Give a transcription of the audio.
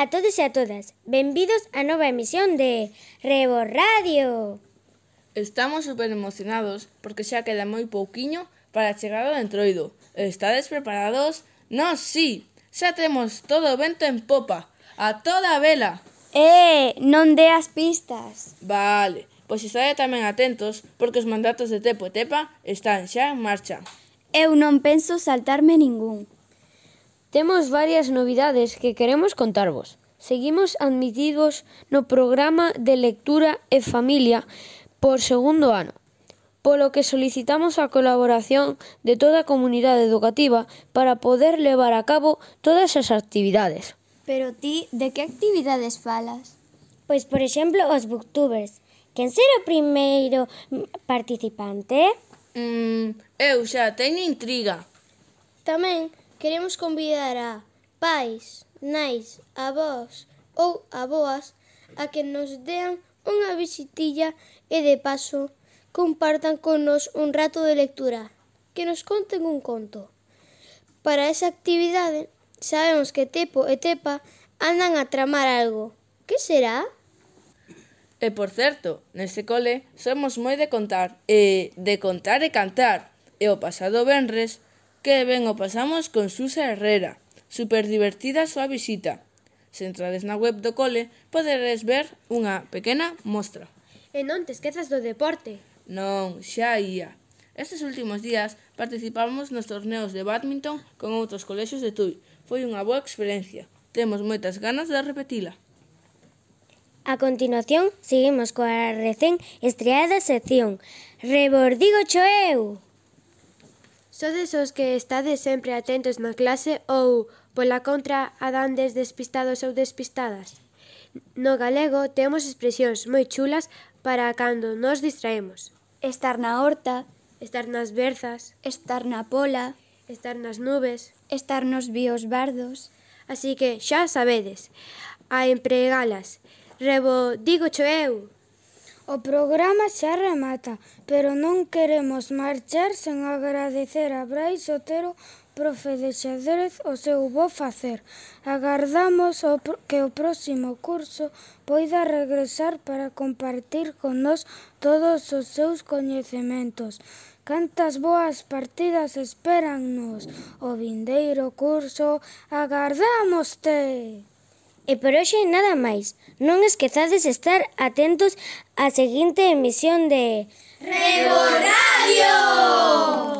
a todos e a todas. Benvidos á nova emisión de Rebo Radio. Estamos super emocionados porque xa queda moi pouquiño para a chegada do Entroido. Estades preparados? Nós sí, xa temos todo o vento en popa, a toda a vela. Non deas pistas. Vale, pois estade tamén atentos porque os mandatos de Tepo e Tepa están xa en marcha. Eu non penso saltarme ningún. Temos varias novidades que queremos contarvos. Seguimos admitidos no programa de lectura e familia por segundo ano, polo que solicitamos a colaboración de toda a comunidade educativa para poder levar a cabo todas as actividades. Pero ti, de que actividades falas? Pois, por exemplo, os booktubers. Quen será o primeiro participante? Eu xa teño intriga. Tamén queremos convidar a pais, nais, avós ou aboas a que nos dean unha visitilla e de paso compartan con nos un rato de lectura, que nos conten un conto. Para esa actividade sabemos que Tepo e Tepa andan a tramar algo. Que será? E por certo, neste cole somos moi de contar e cantar. E o pasado venres que ben o pasamos con Susa Herrera. Super divertida a súa visita. Se entrades na web do cole, poderes ver unha pequena mostra. E non te esquezas do deporte. Non, xa ia. Estes últimos días participamos nos torneos de badminton con outros colexios de Tui. Foi unha boa experiencia. Temos moitas ganas de repetila. A continuación, seguimos coa recén estreada sección Rebordígocho eu! Sodes os que estades sempre atentos na clase ou, pola contra, andandes despistados ou despistadas? No galego temos expresións moi chulas para cando nos distraemos. Estar na horta, Estar nas berzas, estar na pola, estar nas nubes. estar nos bíos bardos. Así que xa sabedes, a empregalas. Rebordígocho eu! O programa xa remata, pero non queremos marchar sen agradecer a Brais Otero, profe de xadrez, o seu bo facer. Agardamos que o próximo curso poida regresar para compartir con nós todos os seus coñecementos. Cantas boas partidas espérannos o vindeiro curso, agardámoste! E por hoxe nada máis. Non esquezades estar atentos á seguinte emisión de Rebo Radio!